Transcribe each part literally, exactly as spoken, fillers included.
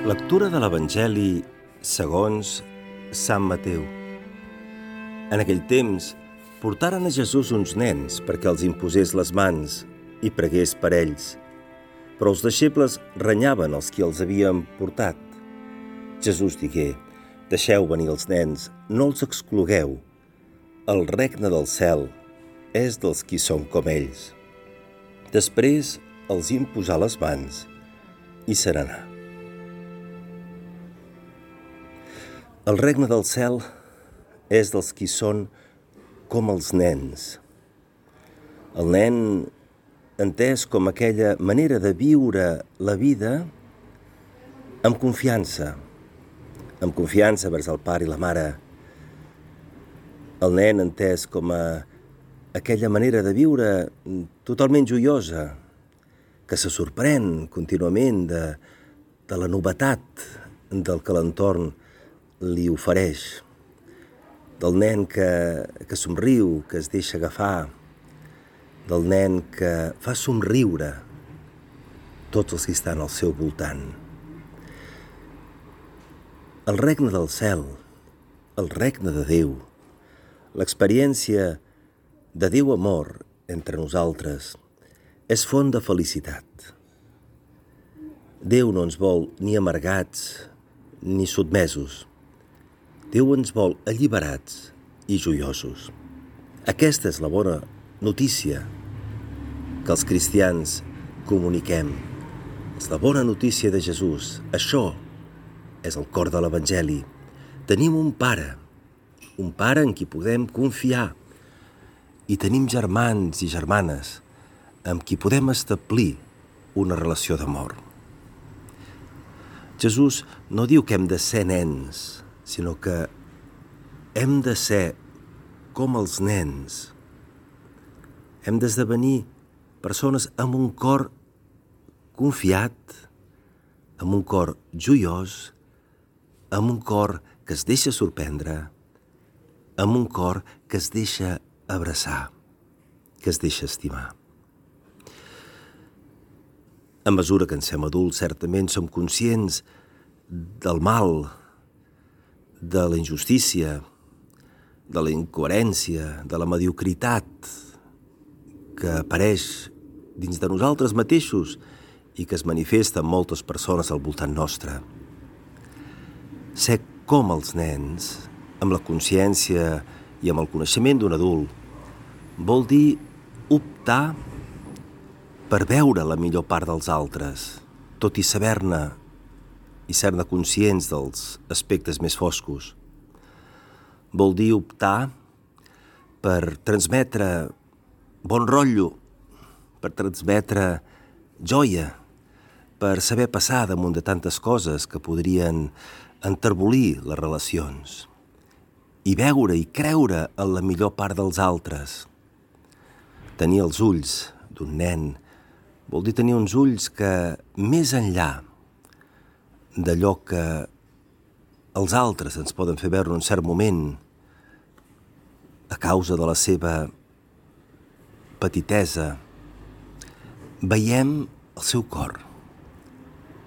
Lectura de l'Evangeli segons Sant Mateu. En aquell temps portaren a Jesús uns nens perquè els imposés les mans i pregués per ells. Però els deixebles renyaven els qui els havien portat. Jesús digué: «Deixeu venir els nens, no els exclogueu. El regne del cel és dels qui són com ells». Després els imposà les mans i se n'anà. El regne del cel és dels qui són com els nens. El nen, entès com aquella manera de viure la vida amb confiança, amb confiança vers el pare i la mare. El nen entès com a aquella manera de viure totalment joiosa, que se sorprèn contínuament de, de la novetat del que l'entorn li ofereix, del nen que, que somriu, que es deixa agafar, del nen que fa somriure tots els que estan al seu voltant. El regne del cel, el regne de Déu, l'experiència de Déu amor entre nosaltres, és font de felicitat. Déu no ens vol ni amargats ni sotmesos. Déu ens vol alliberats i joiosos. Aquesta és la bona notícia que els cristians comuniquem. És la bona notícia de Jesús. Això és el cor de l'Evangeli. Tenim un pare, un pare en qui podem confiar, i tenim germans i germanes amb qui podem establir una relació d'amor. Jesús no diu que hem de ser nens, sinó que hem de ser com els nens. Hem d'esdevenir persones amb un cor confiat, amb un cor joiós, amb un cor que es deixa sorprendre, amb un cor que es deixa abraçar, que es deixa estimar. A mesura que ens fem adults, certament som conscients del mal, de la injustícia, de la incoherència, de la mediocritat que apareix dins de nosaltres mateixos i que es manifesta en moltes persones al voltant nostre. Ser com els nens, amb la consciència i amb el coneixement d'un adult, vol dir optar per veure la millor part dels altres, tot i saber-ne i ser-ne conscients dels aspectes més foscos. Vol dir optar per transmetre bon rotllo, per transmetre joia, per saber passar damunt de tantes coses que podrien enterbolir les relacions, i veure i creure en la millor part dels altres. Tenir els ulls d'un nen vol dir tenir uns ulls que, més enllà d'allò que els altres ens poden fer veure en un cert moment, a causa de la seva petitesa, veiem el seu cor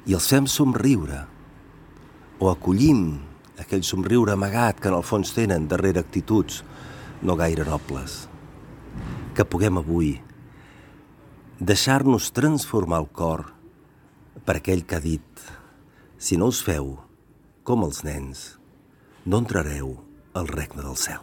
i els fem somriure o acollim aquell somriure amagat que en el fons tenen darrere actituds no gaire nobles. Que puguem avui deixar-nos transformar el cor per aquell que ha dit: si no us feu com els nens, no entrareu al regne del cel.